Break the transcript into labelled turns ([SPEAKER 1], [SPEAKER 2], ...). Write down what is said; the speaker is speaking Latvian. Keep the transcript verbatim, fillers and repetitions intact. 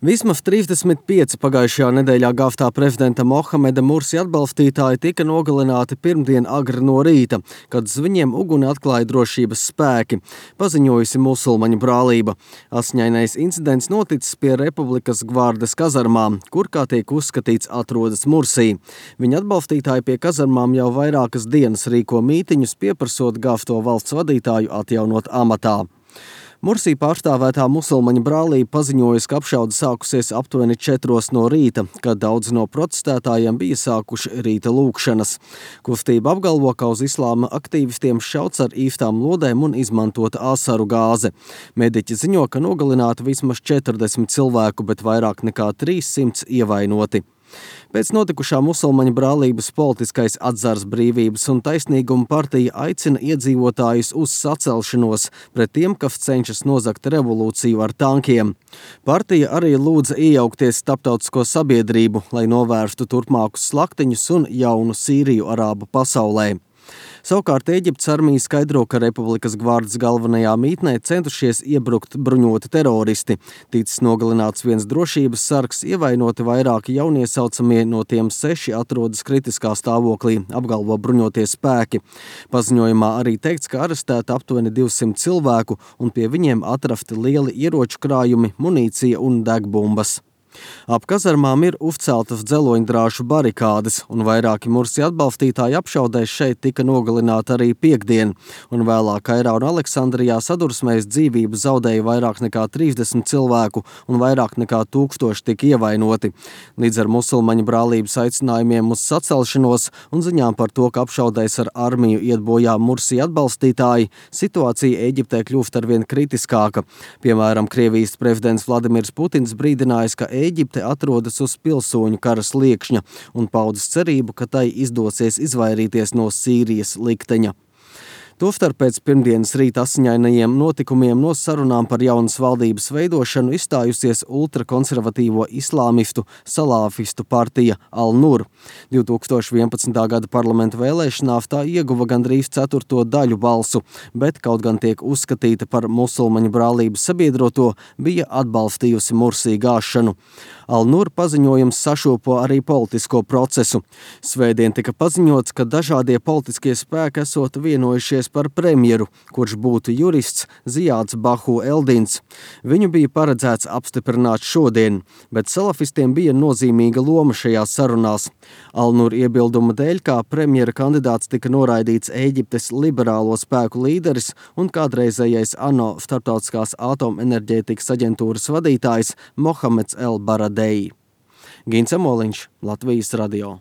[SPEAKER 1] Vismaz trīsdesmit pieci pagājušajā nedēļā gāvtā prezidenta Mohameda Mursi atbalstītāji tika nogalināti pirmdien agri no rīta, kad uz viņiem uguni atklāja drošības spēki, paziņojusi musulmaņu brālība. Asiņainais incidents noticis pie Republikas gvardes kazarmām, kur, kā tiek uzskatīts, atrodas Mursi. Viņa atbalstītāji pie kazarmām jau vairākas dienas rīko mītiņus, pieprasot gāvto valsts vadītāju atjaunot amatā. Mursi pārstāvētā musulmaņu brālība paziņojusi, ka apšaude sākusies aptuveni četros no rīta, kad daudzi no protestētājiem bija sākuši rīta lūkšanas. Kustība apgalvo, ka uz islāma aktīvistiem šauts ar īstām lodēm un izmantota asaru gāze. Mediķi ziņo, ka nogalināti vismaz četrdesmit cilvēku, bet vairāk nekā trīssimts ievainoti. Pēc notikušā musulmaņu brālības politiskais atzars Brīvības un taisnīguma partija aicina iedzīvotājus uz sacelšanos pret tiem, kas cenšas nozagt revolūciju ar tankiem. Partija arī lūdza iejaukties starptautisko sabiedrību, lai novērstu turpmākus slaktiņus un jaunu Sīriju arābu pasaulē. Savukārt Ēģiptes armija skaidro, ka Republikas gvardes galvenajā mītnē centušies iebrukt bruņoti teroristi. Ticis nogalināts viens drošības sargs, ievainoti vairāki jauniesaucamie, no tiem seši atrodas kritiskā stāvoklī, apgalvo bruņotie spēki. Paziņojumā arī teikts, ka arestēta aptuveni divsimt cilvēku un pie viņiem atrasti lieli ieroču krājumi, munīcija un degbumbas. Ap kazarmām ir uzceltas dzeloņdrāšu barikādes, un vairāki Mursi atbalstītāji apšaudēs šeit tika nogalināti arī piekdien, un vēlāk Kairā un Aleksandrijā sadursmēs dzīvību zaudēja vairāk nekā trīsdesmit cilvēku, un vairāk nekā tūkstoši tika ievainoti. Līdz ar musulmaņu brālības aicinājumiem uz sacelšanos un ziņām par to, ka apšaudēs ar armiju iet bojā Mursi atbalstītāji, situācija Ēģiptē kļūst arvien kritiskāka. Piemēram, Krievijas prezidents Vladimirs Putins brīdinājis, ka Ēģipte atrodas uz pilsoņu kara sliekšņa un paudis cerību, ka tai izdosies izvairīties no Sīrijas likteņa. Tostarp pēc pirmdienas rīta asiņainajiem notikumiem no sarunām par jaunas valdības veidošanu izstājusies ultrakonservatīvo islāmistu salāfistu partija Al-Nur. divtūkstoš vienpadsmitā gada parlamenta vēlēšanās tā ieguva gandrīz ceturto daļu balsu, bet kaut gan tiek uzskatīta par musulmaņu brālības sabiedroto, bija atbalstījusi Mursi gāšanu. Al-Nur paziņojums sašūpo arī politisko procesu. Svētdien tika paziņots, ka dažādie politiskie spēki esot vienojušies par premjeru, kurš būtu jurists Ziāds Bahu Eldins. Viņu bija paredzēts apstiprināt šodien, bet salafistiem bija nozīmīga loma šajās sarunās. Al-Nur iebilduma dēļ, kā premjera kandidāts tika noraidīts Ēģiptes liberālo spēku līderis un kādreizējais ANO starptautiskās atomenerģētikas aģentūras vadītājs Mohameds El Baradei. Gins Amoliņš, Latvijas radio.